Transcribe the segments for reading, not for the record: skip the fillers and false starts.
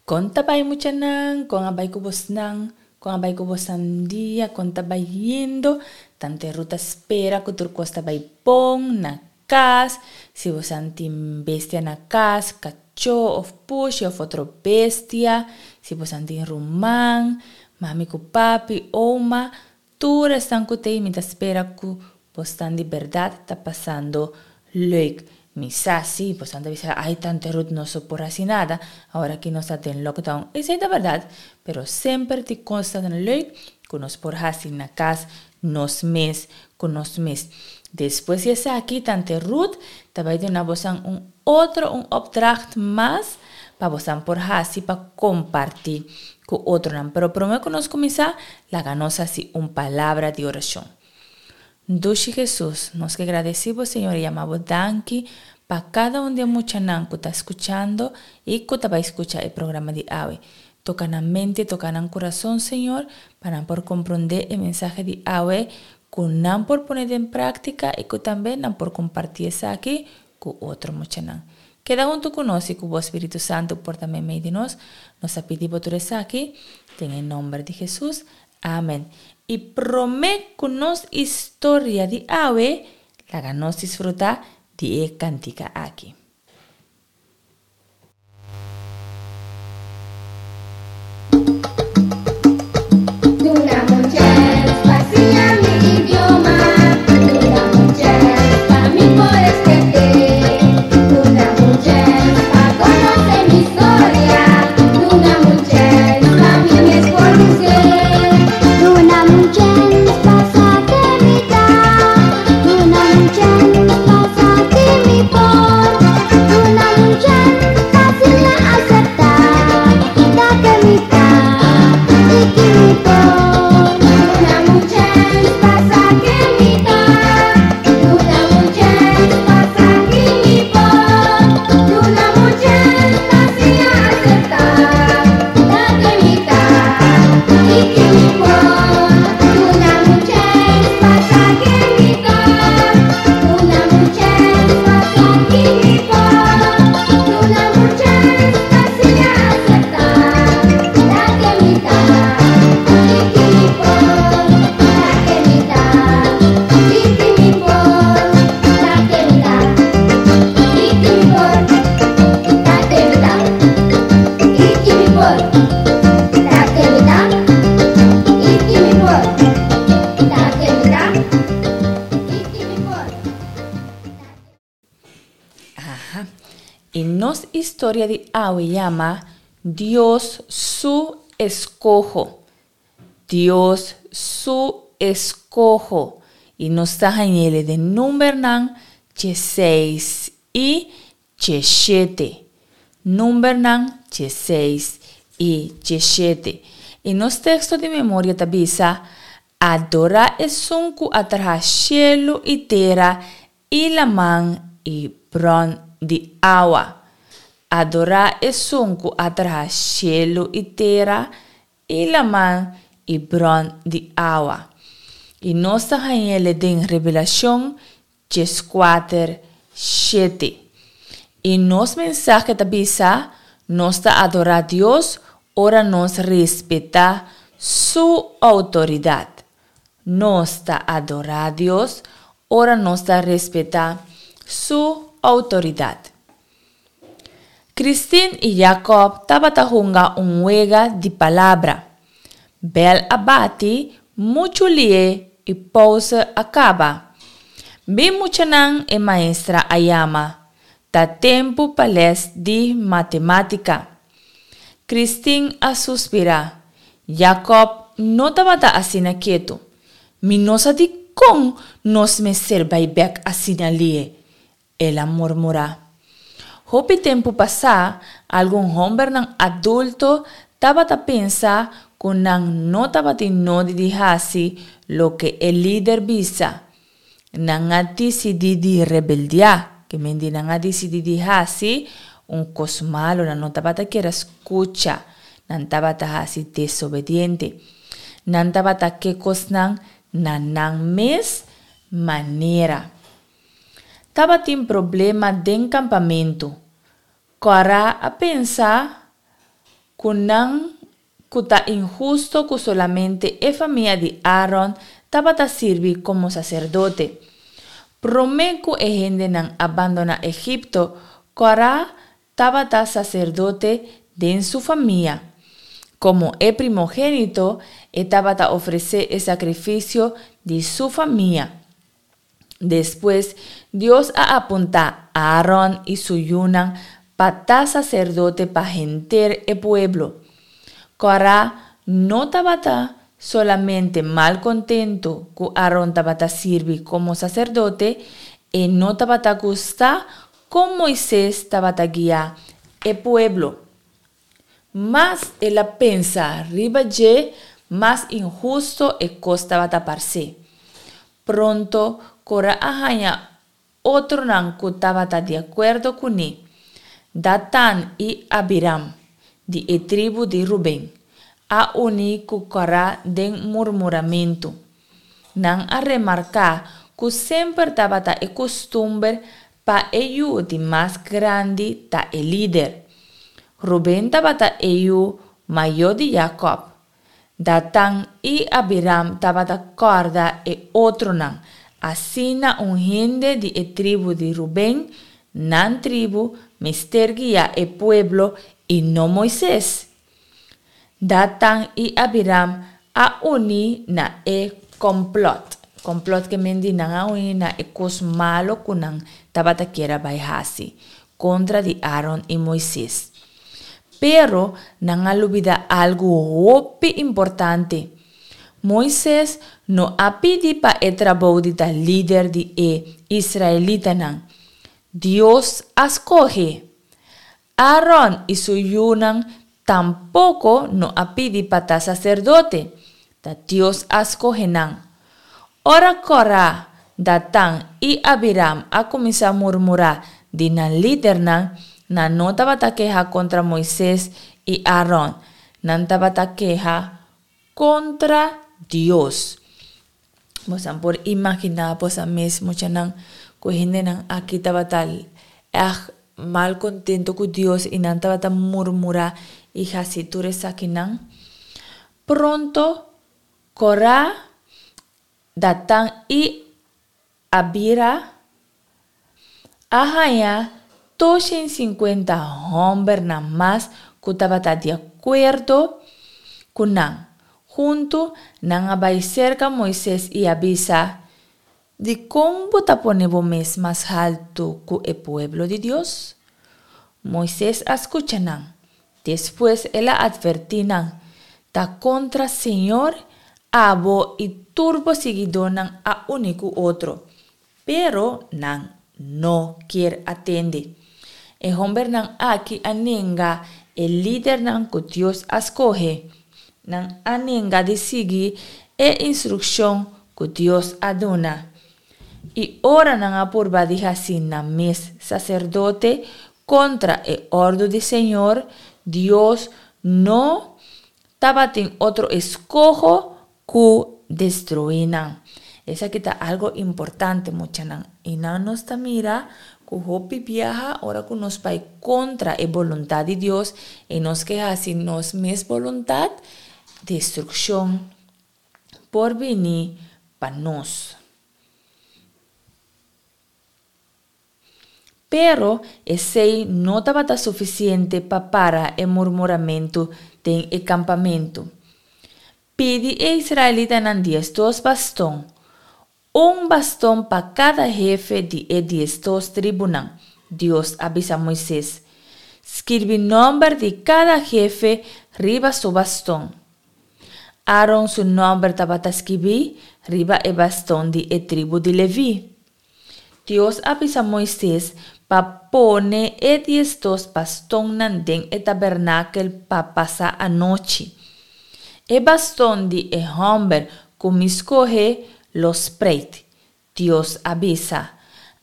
Kon ta bai muchanan? Kon a bai ku bosnan? Kon a bai ku bosnan dia? Kon ta bai yendo? Tante Ruth ta spera ku tur kos ta bai bon na kas. Si bosan tin bestia na kas, kachó òf pushi òf otro bestia, si bosan tin ruman, mami ku papi, oma, Tur esnan ku t'ei mi ta spera ku bosnan di bèrdat ta pasando leuk. Mi sa si bosnan ta bisa ai tante Ruth nos no por hasi nada awor aki nos ta den lockdown. Esei ta bèrdat, pero semper tin kosnan leuk ku nos por hasi na kas nos mes ku nos mes. Despues di esaki tante Ruth ta bai duna bosnan un otro un opdracht mas pa bosnan por hasi pa kompartí ku otronan. Pero promé ku nos kuminsá, laga nos hasi un palabra di orashon. Dushi Hesus, nos ke gradesí bo Señor i yama bo danki pa kada un di e muchanan ku ta skuchando i ku ta bai skucha e programa di awe. Toka nan mente, toka nan kurason, Señor, pa nan por komprondé e mensahe di awe, ku nan por pone den práktika i ku tambe nan por kompartí esaki ku otro muchanan. Keda huntu ku nos i ku bo Spiritu Santu por ta meimei di nos. Nos a pidi bo tur esaki den e nomber di Hesus. Amen. I promé ku nos historia di awe, laga nos disfrutá di e kantika aki. Duna un chèns pa siña mi idioma Duna un chèns pa mi por eskrebe Duna un chèns pa konosé mi storia Duna un chèns pa mi mes por hus'é Duna un chèns pa sa ke mi ta Duna un chèns pa sa ki mi por Duna un chèns pa siña aseptá Ta ke mi ta i ki mi por. Duna un chèns pa sa ke mi ta Duna un chèns pa sa ki mi por Duna un chèns pa siña aseptá Ta ke mi ta i ki mi por Duna un chèns pa sa ke mi ta Duna un chèns pa sa ki mi por Duna un chèns pa siña aseptá Ta ke mi ta i ki mi por Ta ke mi ta i ki mi por Ta ke mi ta i ki mi por Ta ke mi ta i ki mi por Ta ke mi ta i ki mi por Ta ke mi ta i ki mi por. Aha. I nos historia di awe yama Dios su eskoho. Dios su eskoho. I nos ta hañ'ele den Numbernan dieseis i diesshete. Numbernan dieseis i diesshete. I nos teksto di memoria ta bisa, Adorá esun ku a traha shelu i tera i laman i bron di awa. Adorá esun ku a traha shelu i tera i laman i bron di awa. I nos ta hañ'ele den Revelashon dieskuater, shete. I nos mensahe ta bisa, nos ta adorá Dios ora nos respetá su outoridat. Nos ta adorá Dios ora nos ta respetá su outoridat. Christine i Jacob tabata hunga un wega di palabra. Bèl a bati muchu lié i pouze a kaba. Bin muchanan e maestra a yama. Ta tempu pa lès di matemátika. Christine a suspirá. Jacob no tabata asina ketu. Mi no sa dikon nos mester bai bèk asina lié, el a murmurá. Hopi tempu pasá, algun hòmbernan adulto tabata pensa ku nan no tabatin nodi di hasi loke e lider bisa. Nan a disidí di rebeldiá, ke men di nan a disidí di hasi un kos malu, nan no tabata kier a skucha, nan tabata hasi desobediente. Nan tabata ke kosnan na nan mes manera. Tabatin problema den kampamentu. Kòrá a pensa. Ku nan ku ta inhusto ku solamente e famia di Aaron tabata sirbi komo saserdote. Promé ku e hendenan a bandoná Egipto, Korah tabata saserdote den su famia. Komo e primogénito, e tabata ofresé e sakrifisio di su famia. Despues, Dios a apuntá Aaron i su yunan pa ta saserdote pa henter e pueblo. Kòrá no tabata solamente malkontentu ku Aaron tabata sirbi komo saserdote, e no tabata gusta kon Moises tabata guia e pueblo. Mas el a pensa riba dje, mas inhusto e kos tabata pars'é. Pronto Kora a haña otronan ku tabata di akuerdo kuné, Datan i Abiram, di e tribu di Ruben, a uní ku Kora den murmuramentu. Nan a remarká ku semper tabata e kustumber pa e yu di mas grandi ta e lider. Ruben tabata e yu mayó di Jakòb. Datan i Abiram tabata kòrda e otronan. Asina un hende di e tribu di Ruben, nan tribu, mester guia e pueblo i no Moises. Datan i Abiram a uní na e kòmplòt. Kòmplòt ke men di nan a uní na e kos malu ku nan tabata kier a bai hasi kontra di Aron i Moises. Pero nan a lubidá algu hopi importante. Moises no a pidi pa e trabou di ta lider di e israelitanan. Dios a skohe. Aaron i su yunan tampoko no a pidi pa ta saserdote, ta Dios a skohe nan. Ora Korah, Datan i Abiram a kuminsá murmurá di nan lidernan, nan no tabata keha kontra Moises i Aaron, nan tabata keha kontra Dios. Bosan por imaginá bosan mes muchanan ku hendenan aki tabata ègt mal kontentu ku Dios i nan tabata murmurá i hasi tur esakinan. Pronto Korá, Datan i Abira a haña 250 hòmbernan mas ku tabata di akuerdo ku nan. Huntu nan a bai serka Moises i a bisa, Dikon bo ta pone bo mes mas haltu ku e pueblo di Dios? Moises a skucha nan. Despues el a atvertí nan, Ta kontra señor, abo i tur bo siguidónan a uni ku otro. Pero nan no kier a tende. E hombernan aki a nenga e lidernan ku Dios a skohe. Nan a nenga di sigui e instrukshon ku Dios a duna. I ora nan a purba di hasi nan mes saserdote kontra e òrdu di Señor, Dios no tabatin otro eskoho ku destruí nan. Esaki ta algo importante, muchanan. I nan nos ta mira ku hopi biaha ora ku nos bai kontra e boluntat di Dios i nos ke hasi nos mes boluntat, destrukshon por bini pa nos. Pero esei no tabata sufisiente pa para e murmuramentu den e kampamentu. Pidi e israelitanan diesdos baston, un baston pa kada hefe di e diesdos tribunan, Dios a bisa Moises. Skirbi nòmber di kada hefe riba su baston. Aaron su nòmber tabata skibí riba e baston di e tribu di Leví. Dios a bisa Moises pa pone e diesdos bastonnan den e tabernakel pa pasa anochi. E baston di e hòmber ku mi skohe lo spreit, Dios a bisa.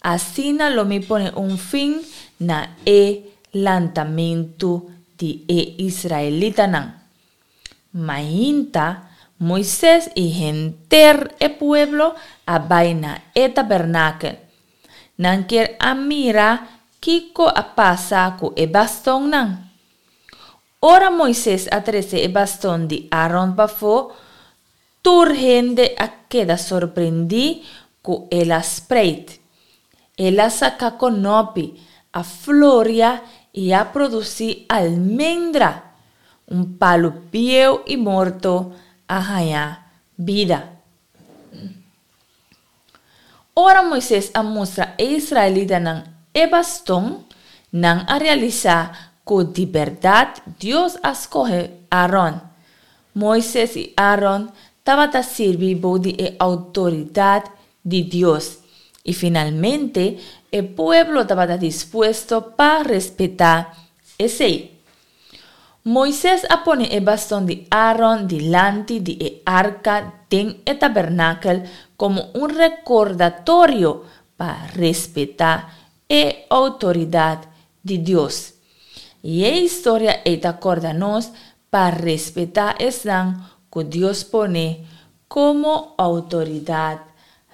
Asina lo mi pone un fin na e lantamentu di e israelitanan. Mainta, Moises i henter e pueblo a bai na e tabernakel. Nan kier a mira kiko a pasa ku e bastonnan. Ora Moises a trese e baston di Aaron pafó, tur hende a keda sorprendí ku el a spreit. El a saka konopi, a floria i a produsí almendra. Un palu bieu i morto a haña bida. Ora Moises a mustra e israelitanan e baston, nan a realisá ku di bèrdat Dios a skohe Aaron. Moises i Aaron tabata sirbi bou di e outoridat di Dios, i finalmente e pueblo tabata dispuesto pa respetá esei. Moises a pone e baston di Aaron dilanti di e arka den e tabernakel komo un rekordatorio pa respetá e outoridat di Dios. I e historia ei ta kòrda nos pa respetá esnan ku Dios pone komo outoridat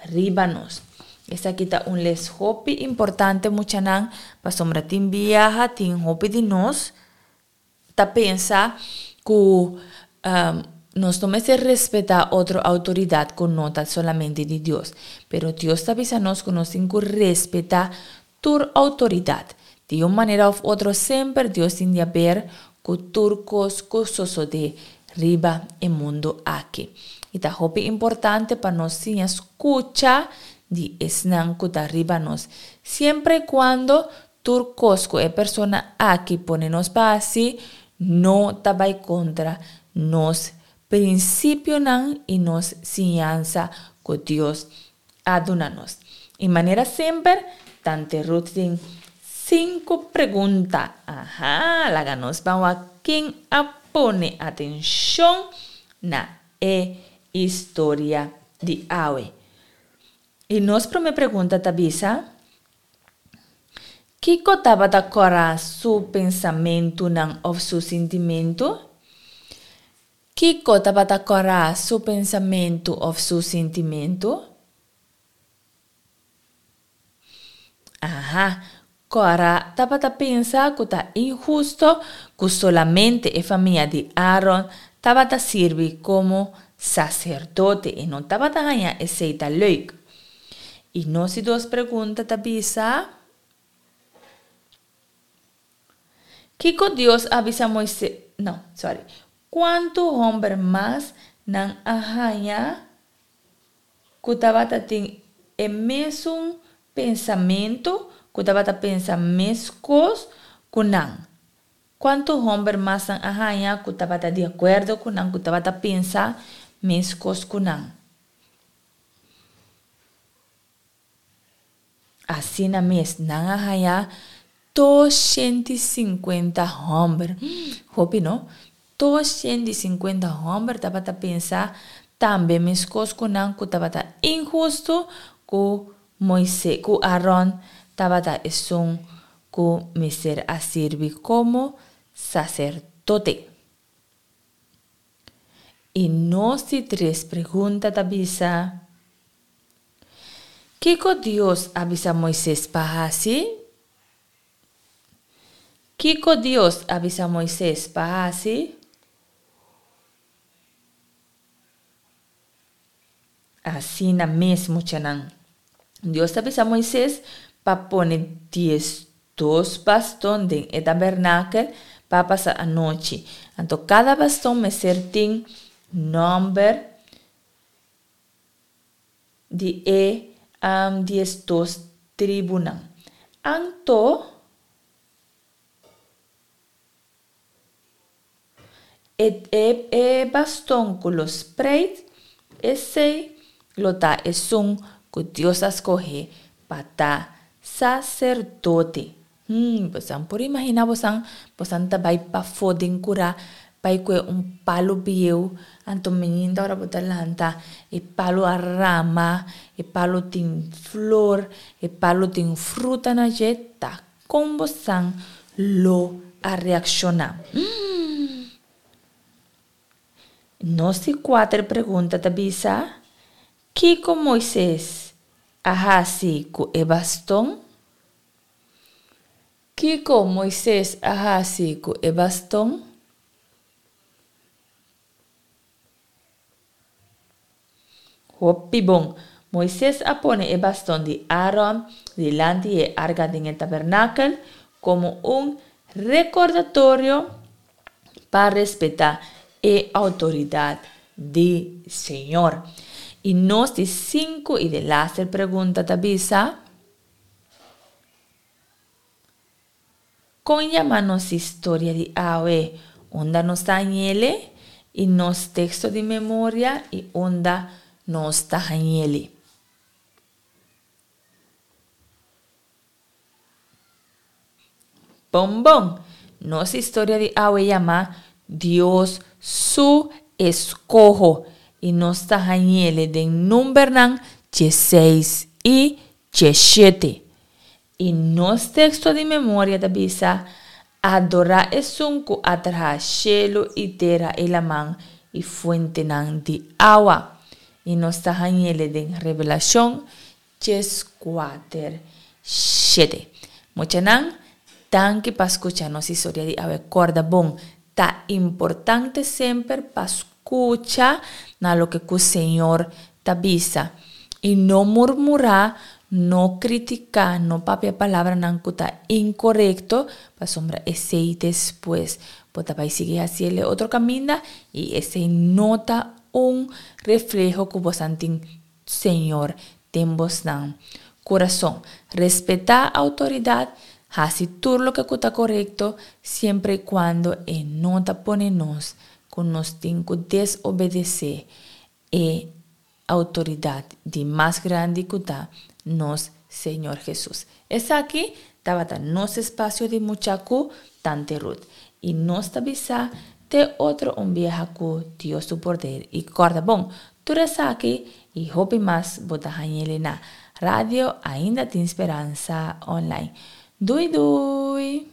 riba nos. Esaki ta un les hopi importante muchanan, pasobra tin biaha tin hopi di nos ta pensa ku nos no mester respetá otro outoridat ku no ta solamente di Dios. Pero Dios ta bisa nos ku nos tin ku respetá tur outoridat. Di un manera òf otro semper Dios tin di haber ku tur kos ku sosodé riba e mundu aki. I ta hopi importante pa nos siña skucha di esnan ku ta riba nos, siempre i kuando tur kos ku e persona aki pone nos pa hasi no ta bai kontra nos prinsipionan i nos siñansa ku Dios a duna nos. I manera semper, Tante Ruth tin sinku pregunta. Aha, laga nos ban wak ken a pone atenshon na e historia di awe. I nos prome pregunta ta bisa, Kiko tabata kòrá su pensamentunan òf su sintimentu? Kiko tabata kòrá su pensamentu òf su sintimentu? Aha, Kòrá tabata pensa ku ta inhusto ku solamente e famia di Aaron tabata sirbi komo saserdote. E no tabata haña esei ta leuk. I nos di dos pregunta ta bisa, Kiko Dios a bisa Moises, no, sorry, kuantu hòmber mas nan a haña ku tabata tin e mesun pensamentu, ku tabata pensa meskos ku nan? Kuantu hòmber mas nan a haña ku tabata di akuerdo ku nan, ku tabata pensa meskos ku nan? Asina mes, nan a haña 250 hòmber. Hopi, no? 250 hòmber tabata pensa tambe meskos ku nan ku tabata inhustu ku Moisés, ku Aron tabata esun ku mester a sirbi komo saserdote. I nos di tres pregunta ta bisa, Kiko Dios a bisa Moises pa hasi? Kiko Dios a bisa Moises pa hasi? Asina mes, muchanan. Dios ta bisa Moises pa pone 12 baston den e tabernakel pa pasa anochi. Anto kada baston mester tin nòmber di e 12 tribunan. Anto. E e e baston ku lo spreit, esei lo ta esun ku Dios a skohe pa ta saserdote. Hmm, bosan por imaginá bosan, bosan ta bai pafó den kurá, bai kue un palu bieu, anto mininda ora bo ta lanta, e palu a rama, e palu tin flor, e palu tin fruta na dje, ta Kon bosan lo a reakshoná? Nos di kuater pregunta ta bisa, Kiko Moises a hasi ku e baston? Kiko Moises a hasi ku e baston? Hopi bon! Moises a pone e baston di Aaron dilanti e arka den e tabernakel komo un rekordatorio pa respetá e outoridat di Señor. I nos di sinku i delaster pregunta ta bisa, Kon yama nos historia di awe? Unda nos ta hañ'ele? I nos teksto di memoria i unda nos ta hañ'ele? Bon bon! Nos historia di awe yama Dios su eskoho i nos ta hañ'ele den Numbernan dieseis i diesshete. I nos teksto di memoria ta bisa, Adorá esun ku a traha shelu i tera i laman i fuentenan di awa. I nos ta hañ'ele den Revelashon 14, shete. Muchanan, danki pa skucha nos historia di awe. Kòrda bon, ta importante semper pa Skucha na loke ku Señor ta bisa, i no murmurá, no kritiká, no papia palabranan ku ta inkorekto, pasobra esei despues bo ta bai sigui hasi el e otro kaminda, i esei no ta un refleho ku bosan tin Señor den bosnan kurason. Respetá outoridat, hasi tur loke ku ta korekto, siempre i kuando e no ta pone nos ku nos tin ku desobedesé e outoridat di mas grandi ku ta nos Señor Hesus. Esaki tabata nos espasio di mucha ku Tante Ruth. I nos ta bisa te otro un biaha ku Dios su poder i kòrda bon, Tur esaki y hopi mas bo ta hañ'ele na Radio Ainda Tin Speransa Online. Dui dui!